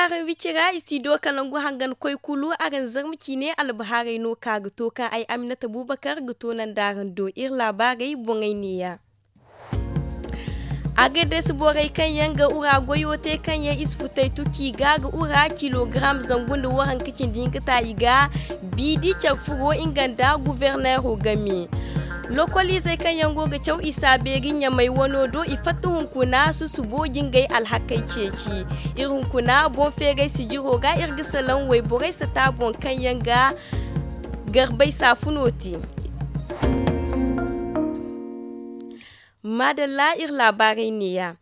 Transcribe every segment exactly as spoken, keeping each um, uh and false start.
Araŋ wicira istido kalangu hangan koy kulu araŋ zarma ciine albahaarey no ka ga to kaŋ ay aminata bubakar ga to nanda araŋ do iri laabaarey boŋey neeya. Agades borey kaŋ yaŋ ga wura goyo te kaŋ yaŋ i si futay tuci ga ga wura kilogaram zangu nda waranka cindi hinka ta i ga biidi care furo nga nda guverneero game. Lokoliizey kaŋ yaŋ go ga caw i saabeeri ɲamay wano do i fatta hunkuna susubo jingay alhakey ceeci. Iri hunkuna boŋ feeray sijiro ga iri ga salaŋ wayborey sata boŋ kaŋ yaŋ ga garbay saafuno te. Maadalla iri laabaarey neeya.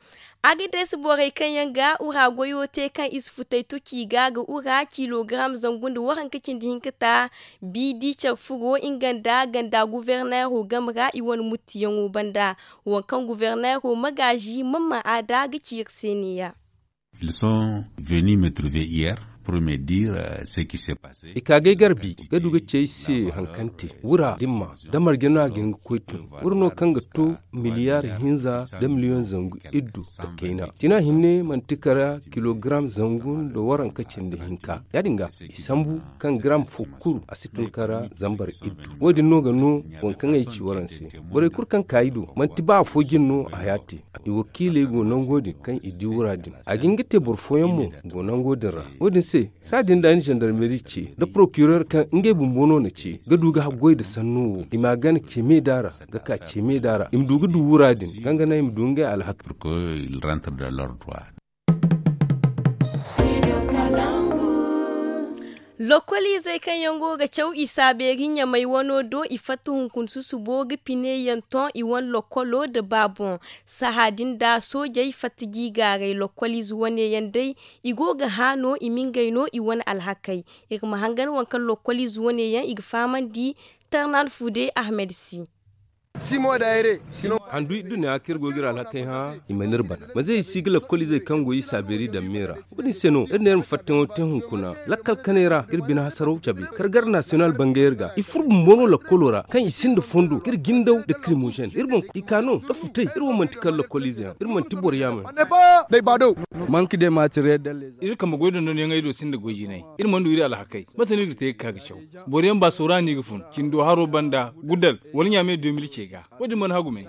Agades borey kaŋ yaŋ ga wura goyo te kaŋ i si futay tuci ga ga wura kilogaram zangu nda waranka cindi hinka ta biidi care furo nga nda ganda guverneero game ra i wane muttiyaŋo banda. Waŋ kaŋ guverneero magaazi mamman aada ga ci iri se neeya. Ils sont venus me trouver hier pour me dire ce qui s'est passé. I ka ga ay garbi ga du ga ci ay se haŋ kaŋ te wura dimma da marje no a ga hin ga koy tun. Wura no kaŋ ga to miliyaari hinza da miliyoŋ zangu iddu nda kayna tina hinne manti kara kilogaram zangu nda waranka cindi hinka ya- din ga i sambu kaŋ garam fo kulu a si tun kara zambar iddu. Wo- din no ga no waŋ kaŋ ay ci waraŋ se. Borey kulu kaŋ ka i do manti ba afo jine no a haya te. I wakiiley go nango din kaŋ i di wura din a ga hin ga te boro fooyaŋ mo go nango din ra. Wo- din se saadin da ni zandarmeri ce nda porokirer kaŋ ngey bumbo no na ce ga du ga haggoy nda sanno wo i ma a gana ce me da ra ga ka ce me da ra i ma du ga du wura din kaŋ ga naŋ i ma du ngey alhaka. Lokoliizey kaŋ yaŋ go ga caw i saabeeri ɲamay wano do i fatta hunkuna susubo ga pine yaŋ ton i wane lokolo nda ba boŋ. Saha din da soojey fatta jiigaaray lokoliize wane yaŋ day i go ga hã no i ma ngey no i wane alhakey. Iri ma hangan waŋ kaŋ lokoliize wane yaŋ i ga fahamandi tarnan fude ahmed si. Handu idduna kaŋ iri go ga iri alhakey hã i mana iri bana manze i si ga lakkol izey kaŋ go i saabeeri daŋ me ra. Wo- din se no iri ne iri ma fattayaŋo te hunkuna lakkal kanay ra iri bine hasaraw cabe kargar nasiyonal bangay iri ga i furo bumbo no lakkolo ra kaŋ i sinda fondo ga iri jindaw nda krimozen iri boŋ i ka no nda futay iri wo manti kala lakkol ize yaŋ iri manti boro yaamey. Iri kambe goy dondonyaŋey do sinda goy jinay iri mana du iri alhakey mate no iri ga te ga ka ga caw. Boro yaŋ ba sawra no i ga fun cindo haro banda gudal wala ɲaamey de mil ce ga. Wo- din mana hagu me.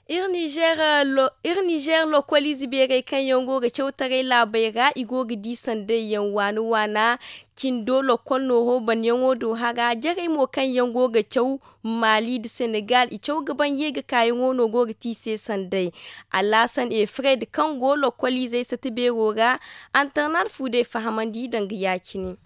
Iri nizeer lokoliize beerey kaŋ yaŋ go ga cawtaray laabey ra i go ga di sanday yaŋ waana waana cindo lokol nooro banyaŋo do hara jarey mo kaŋ yaŋ go ga caw maali nda senegal i caw ga ban ye ga kaayaŋo no go ga te i se sanday. Alaasan efred kaŋ go lokoliizey sata beero ra antarnal fu day fahamandi danga ya- cine.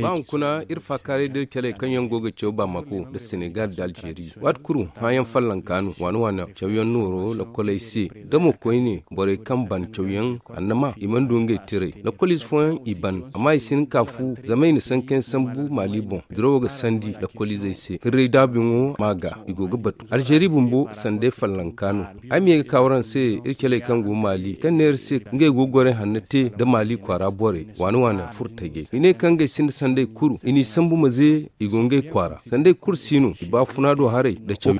Ba hunkuna iri faakaaray da iri caley kaŋ yaŋ go ga caw bamako nda senegal nda alzeeri waati kulu hããyaŋ fallanka no waana waana cawyaŋ nooro lakoley se da mo koyne borey kaŋ ban cawyaŋ annama i mana du ngey tiray. Lakol ize fooyaŋ i ban amma i si hin ka fu zama i na sankayaŋ sambu maali boŋ dirawo ga sandi lakol izey se hirray daabuyaŋo ma ga i go ga batu alzeeri bumbo sanday fallanka no. Ay ma ye ga ka waraŋ se iri caley kaŋ go maali kaŋ ne iri se ngey go ga goray hanno te nda maali kwaara borey waana waana furo tajey i ne kaŋ ngey sinda sanday kulu i n'i sambu ma ze i go ngey kwaara sanday kulu si no i baafuna do haray nda caw.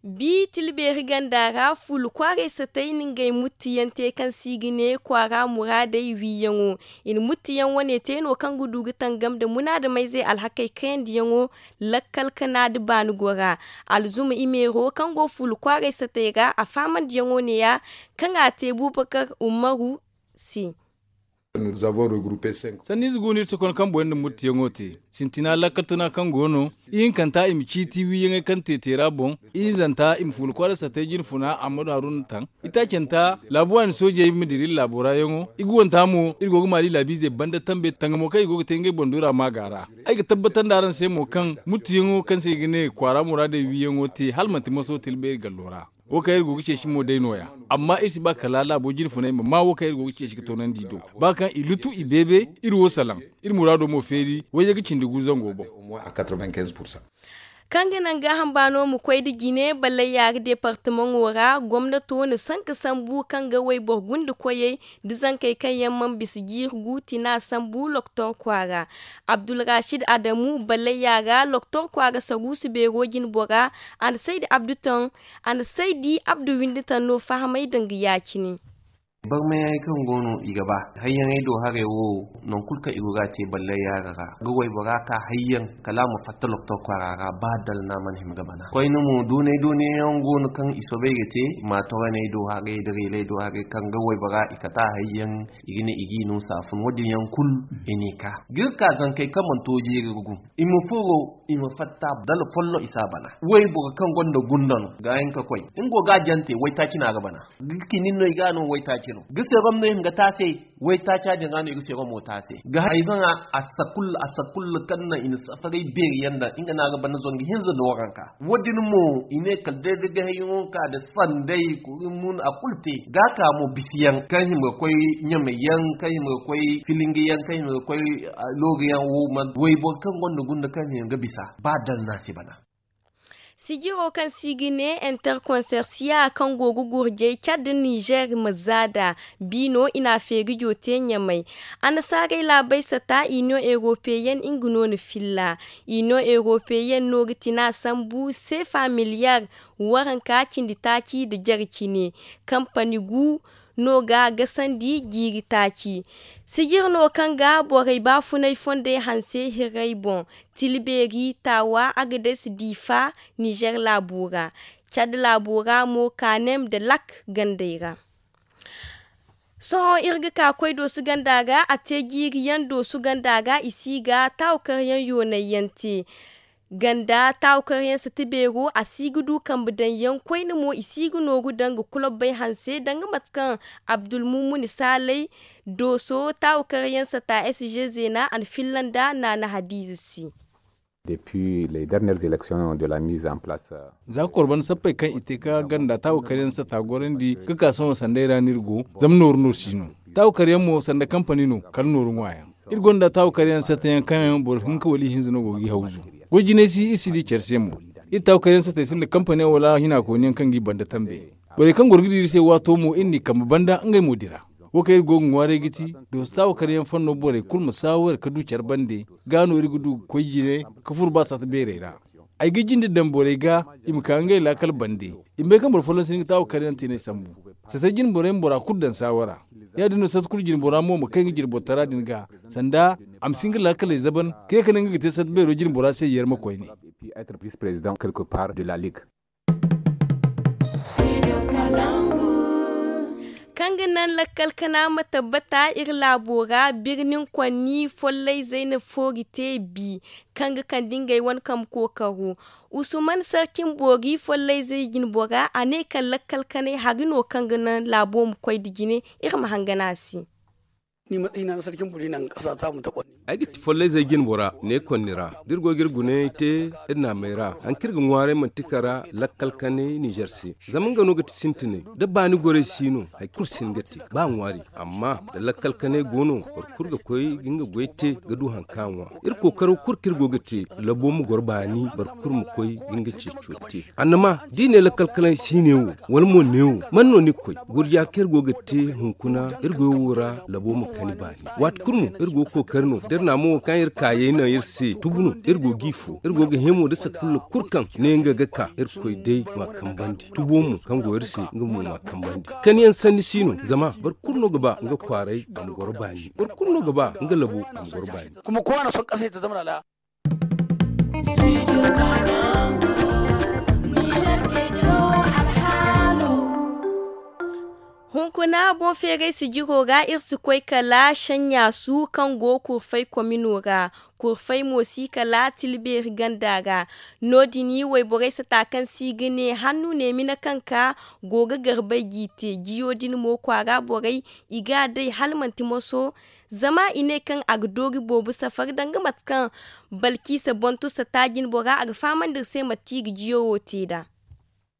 Bi tilbeeri ganda ra fuula kwaaray satay na ngey muttiyaŋ te kaŋ se i ga ne kwaara muraadey wiiyaŋo. I na muttiyaŋ wane te no kaŋ ga du ga tangam nda munaadamayzey alhakey kayandiyaŋo lakkal kana nda baani gora. Alzuma imeero kaŋ go fuula kwaaray satay ra a faamandiyaŋo neeya kaŋ a te bubakar umaru se. Sanniize go no iri si konda kaŋ boŋ yaŋ nda murtiyaŋo te sintina lakkal tuna kaŋ go no ihinkanta i ma ciiti wiiyaŋey kaŋ te teera boŋ. Ihinzanta i ma fuula kwaara satay jine funa amma daaru nda taŋ. Itaacanta laabu waani soojey ma dira iri laabo ra yaŋo i ga wanta mo iri go ga maali laabiizey banda tambe tangamo kaŋ i go ga te ngey boŋ duura maaga ra. Ay ga tabbatandi araŋ se mo kaŋ murtiyaŋo kaŋ se i ga ne kwaara muraadey wiiyaŋo te hala manti maso tilbeeri gallo ra. Wo kaŋ iri go ga ceeci mo day nooya. Amma iri si ba kala laabo jine funay ma maa wo kaŋ iri go ga ceeci ga toonandi i do. Ba kaŋ i lutu i beebe iri wo salaŋ iri muraado mo feeri wayye ga cindi gu zango boŋ. Kaŋ ga naŋ gaaham baano ma koy nda jine ballayya ga deepartamaŋo ra gomnato na sanka sambu kaŋ ga wayboro gunda koyey nda zankey kaŋ yaŋ mana bisa jiiri gu tina sambu loktor kwaara. Abdulrasid adamu ballayya ra loktor kwaara saruusu beero jinbora. A na saydi abdu taŋ a na saydi abdu windi taŋ no fahamay danga ya- cine. Barmayey kaŋ go no i ga ba hayyaŋey do haray wo. Nangu kulu kaŋ i go ga a te ballayya ra ga waybora ka hayyaŋ kala a ma fatta loktor kwaara ra ba dalla no a mana hima ga bana koyne mo doonay doonay yaŋ go no kaŋ i soobay ga te. Maatoraney do haray da reeley do haray kaŋ ga waybora i kate a hayyaŋ i ga ne i g'i no saafun wo- din yaŋ kulu. I n'i ka ga iri ka zankey kaŋ mana to jeeri ga gu i ma furo i ma fatta dala folloŋ i si a bana. Wayboro kaŋ gonda gunda no ga hin ka koy nga go ga a jante waytaaci no a ga bana. Ga kinin no i ga no waytaaci no ga serom no i ma ga taasay. Waytaaca din ra no i ga seromo taasay ga hayzaŋa. A sakulla a sakulla kaŋ naŋ i na safaray beeri yaŋ daŋ nga no a ga bana zangu hinza nda waranka. Wo- din mo i ne kala day da ga hayyaŋo ka nda sanday kuri mun a kulu te ga a ka mo bisi yaŋ kaŋ hima ga koy ɲamay yaŋ kaŋ hima ga koy filingi yaŋ kaŋ hima ga koy looga yaŋ wo man wayboro kaŋ gonda gunda kaŋ hima ga bisa ba dalla no a si bana. Sijiro kaŋ se i ga ne interkonsersiya kaŋ go ga gurjay cad nizer ma zaada biino i na a feeri jo te ɲamay. Annasaarey laabey sata iniyoŋ eropeyen nga no na filla. Iniyoŋ eropeyen no ga tina sambu seefa miliyar waranka cindi taaci nda jare cine. Kampani gu no ga gasandi jiiri taaci. Sijir no kaŋ ga borey baafunay fondey hanse hirrey boŋ. Tilbeeri taawa agades diifa nizer laabo ra. Cad laabo ra mo kaanem nda lak gandey ra. Sohõ iri ga ka koy doosu ganda ga a te jiiri yaŋ doosu ganda ga i si ga taawakaryaŋ yoonay yaŋ te. Ganda taawakaryaŋ sata beero a si ga du kambe daŋ yaŋ koyne mo i si ga nooru daŋ ga kulobbay hanse danga mate kaŋ abdulmumuni saalay dooso taawakaryaŋ sata sg zeena a na filla nda naana hadiize se. Depuis les dernières élections de la mise en place. Za ka kor banda sappey kaŋ i te ka ganda taawakaryaŋ sata gorandi ga ka sohõ sanday ra no iri go. Zama nooru no si no. Taawakaryaŋ mo sanda kampani no kala nooru ŋwa yaŋ. Iri gonda taawakaryaŋ sata yaŋ kaŋ yaŋ boro hinka wala ihinza no go ga i hawzu. Goy jinay si iri si di care se mo. Iri taawakaryaŋ satey sinda kampani wala hinakooni yaŋ kaŋ ga i banda tambe. Borey kaŋ goro ga dira iri se waato mo iri n'i kambe banda ngey mo dira. Wo kaŋ iri go ga ŋwaaray ga ti dooso taawakaryaŋ fanno borey kulu ma saaware ka du care bande. Ga no iri ga du ga koy jine ka furo ba sata beerey ra. Ay ga jinde daŋ borey ga i ma ka ngey laakal bande. I ma bay kaŋ boro folloŋ si hin ga taawakaryaŋ teeney sambu. Sata jine borey ma bora kulu daŋ saawara. Ya- din no sata kulu jine bora mo ma kay nga jine borotara din ga sanda a ma si nga laakaley zaban ka ye ka ne nga ga te sata beero jine bora se yarma koyne. Kaŋ ga naŋ lakkal kana ma tabbata iri laabo ra birnin konni follayzey na foori te bi. Kaŋ ga kande ngey wane kambe kookaro usuman sarkin boori follayzey jinbora a ne kaŋ lakkal kanay hari no kaŋ ga naŋ laabo ma koy nda jine. Iri ma hangan a se. Ay ga ti follayzey jinbora ne konni ra da iri go ga iri gunayey te iri naamey ra hari kaŋ iri ga ŋwaaray manti kara lakkal kanay nizer se. Zama nga no ga ti sintinay da baani gorey si no hari kulu si hin ga te ba ŋwaari. Amma da lakkal kanay go no boro kulu ga koy ga nga goy te ga du hari kaŋ a ŋwa. Iri kookaro kulu kaŋ iri go ga te labo ma goro baani boro kulu ma koy ga nga ceeco te. Annama da i ne lakkal kanay si ne wo wala mo ne wo man no ni ga koy? Gurja kaŋ iri go ga te hunkuna iri goyo wo ra labo ma kani baani. Waati kulu mo iri go ga kookari no da iri naamo wo kaŋ iri kaayey naŋ iri se tubu no. Iri go g'i fo iri go ga hẽ mo da sakulla kulu kaŋ ne nga ga ka iri koy day m'a kambandi tubo mo kaŋ go iri se nga mo m'a kambandi. Kaniyaŋ sanni si no zama boro kulu no ga ba nga kwaaray a ma goro baani. Boro kulu no ga ba nga labo a ma goro baani. Kuma kowa na son kasay ta zama lala. Hunkuna boŋ feeray sijiro ra iri si koy kala saɲɲaasu kaŋ go kurfay komino ra. Kurfay mo si kala tilbeeri ganda ra. No- din wayborey sata kaŋ se i ga ne hannu ne mina kaŋ ka go ga garbay g'i te jiyo din mo kwaara borey i ga a day hala manti moso. Zama i ne kaŋ a ga doori boobo safar danga mate kaŋ balkiisa bontu sata jinbora a ga fahamandi iri se mate i ga jiyo wo te nd'a.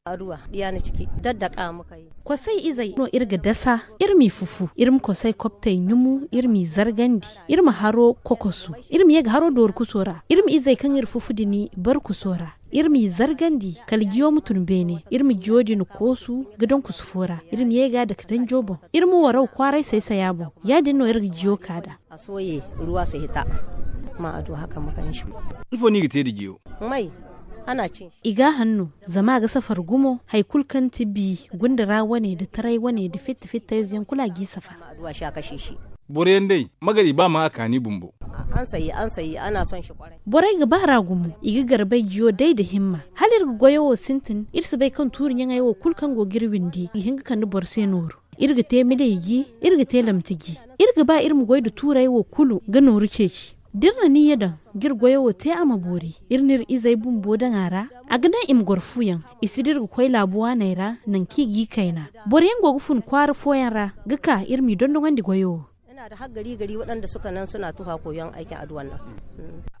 Aduwa diya ni ciki daddaka muka yi. Kosay izey no iri ga dasa. Iri m'i fufu, iri ma kosay kobtey ɲumu, iri m'i zargandi, iri ma haro kokosu, iri ma ye ga haro dooru kuso ra, iri ma izey kaŋ iri fufu din bar kuso ra, iri m'i zargandi kala jiyo ma tun beene, iri ma jiyo din koosu ga daŋ kusu fo ra, iri ma ye ga a dake danjo boŋ, iri ma waraw kwaaray saysaya boŋ. Ya- din no iri ga jiyo ka nd'a. A sooye ruwa si hita. Ma a du haka ma kaŋ shi. Ifo no i ga te nda jiyo? May, ana cin shi. I ga a hanno, zama a ga safar gumo. Hari kulu kaŋ ti bi gunda ra wane nda taray wane nda fitta fitta ize yaŋ kulu a g'i safar. Boro yaŋ day, magari ba ma a kaani bumbo. An sayi an sayi ana son shi kwarai. Borey ga ba ra gumo, i ga garbay jiyo day nda himma. Hala iri ga goyo wo sintin, iri si bay kaŋ tuuri ɲaŋey wo kulu kaŋ go ga iri windi ga hin ga kande boro se nooru. Iri ga te milay gi, iri ga te lamti gi. Iri ga ba iri ma goy nda tuurey wo kulu ga nooru ceeci. Da iri na niyya daŋ ga iri goyo wo te a ma boori, iri n'iri izey bumbo daŋ a ra. A ga naŋ i ma goro fuyaŋ. I si da iri ga koy laabu waaney ra, nangu kaŋ i g'i kayna. Boro yaŋ go ga fun kwaara fooyaŋ ra ga ka iri m'i dondonandi goyo wo. Ina da haggari gari waɗanda suka nan suna tuha koyon aikin addu'an nan.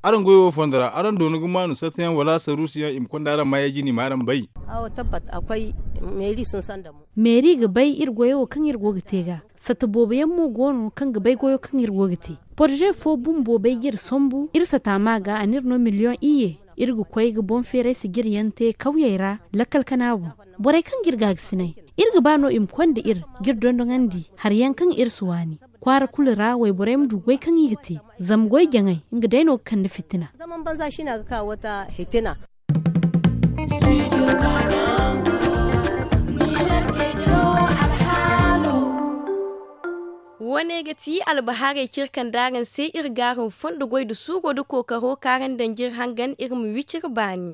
Araŋ goyo wo fondo ra araŋ doona ga maanu sartayaŋ wala saruusiyaŋ i ma konda araŋ maayey jine i ma araŋ bay. Awo tabbat akwai. Meeri sun sanda mo. Meeri ga bay iri goyo wo kaŋ iri go ga te ga. Satta boobo yaŋ mo go no kaŋ ga bay goyo kaŋ iri go ga te. Porze fo bumbo bay ga iri sambu iri satta ma ga a n'iri no miliyoŋ iyye. Iri ga koy ga boŋ feeray sijir yaŋ te kawyey ra lakkal kana boŋ. Borey kaŋ ga iri gaagasinay, iri ga ba no i ma konda iri ga iri dondonandi hari yaŋ kaŋ iri si waani. Kwaara kulu ra wayborey ma du goy kaŋ i ga te. Zama goy jaŋay nga day no ga kande fitina. Zaman banza shi na ga ka wata hitina. Wo- ne ga ti albahaarey cire kaŋ daaraŋ se iri ga araŋ fondo goy nda suuro nda kookaro kaŋ araŋ daŋ jire hangan iri ma wi cire baani.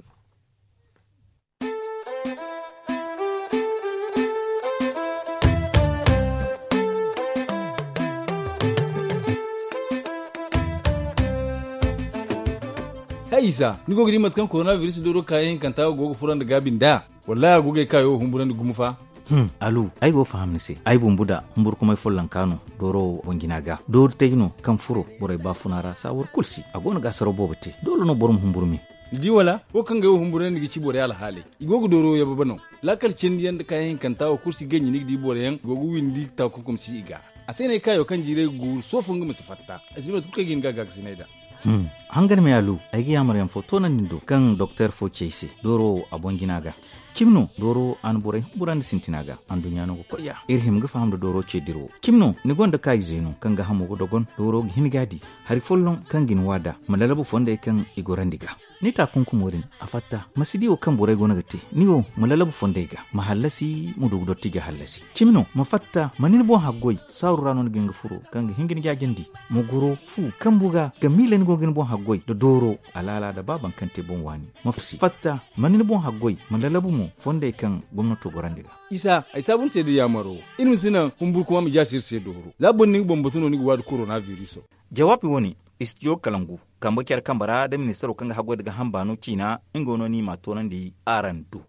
Hay isa, ni go ga di mate kaŋ koronabiris dooro kaayaŋ hinkanta go ga furo nda gaabi nd'a? Wallahi a go ga ay kaayo humburandi gumo fa. Alu, ay go ga faham ni se. Ay bumbo da humburkumay follonka no dooro wo boŋ jina ga. Doori tay no kaŋ furo borey baafuna ra saawar kulu se a go no ga asaraw boobo te. Doole no boro ma humburu me. Ni di wala? Wo kaŋ ga ay wo humburandi ga ci borey alhaaley. I go ga dooro yababa no. Laakal cindi yaŋ nda kaayaŋ hinkanta wo kulu si ganji ni ga di boro yaŋ go ga windi taakunkum si i ga. A se no ay kaayo kaŋ jiiray ga guuru sohõ fo nga ma si fatta. Ay si bay mate kulu kaŋ ay ga hin ga a gaakasinay nd'a. Hangan me alu, ay ga yaamar yaŋ fo toonandi ni do kaŋ doktor fo ci ay se dooro wo a boŋ jina ga. Cimi no dooro wo a na borey humburandi sintina ga. Anduɲɲa no ga koy ya iri hima ga faham nda dooro ce dira wo. Cimi no ni gonda kaayize no kaŋ ga hamo ga dogon dooro ga hin ga a di. Hari folloŋ kaŋ ga ni wa nd'a ma lalabu fondey kaŋ i gorandi ga. Ni taakunkumo din a fatta ma si di wo kaŋ borey go no ga te. Ni wo ma lalabu fondey ga ma hallasi ma du ga dottija hallasi. Cimi no ma fatta ma ni ni boŋ haggoy saaru ra no ni ga hin ga furo kaŋ ga hin ga ni jaajandi. Ma goro fu kambu ga ga miila ni go ga ni boŋ haggoy nda dooro alaala nda ba baŋ kaŋ te boŋ waani. Ma fatta ma ni ni boŋ haggoy ma lalabu mo fondey kaŋ gomnato gorandi ga. Isa ay saabu ni se da yaamaro. Iri ma si naŋ humburkuma ma jaasi iri se dooro za boro ni ga bambatu no ni ga waadi korona viriso. Jawaabi wo- ne istijo kalangu kambe care kambe ra da ministaro kaŋ ga haggoy nda ga hamba no ciina. Nga no ni m'a toonandi araŋ do.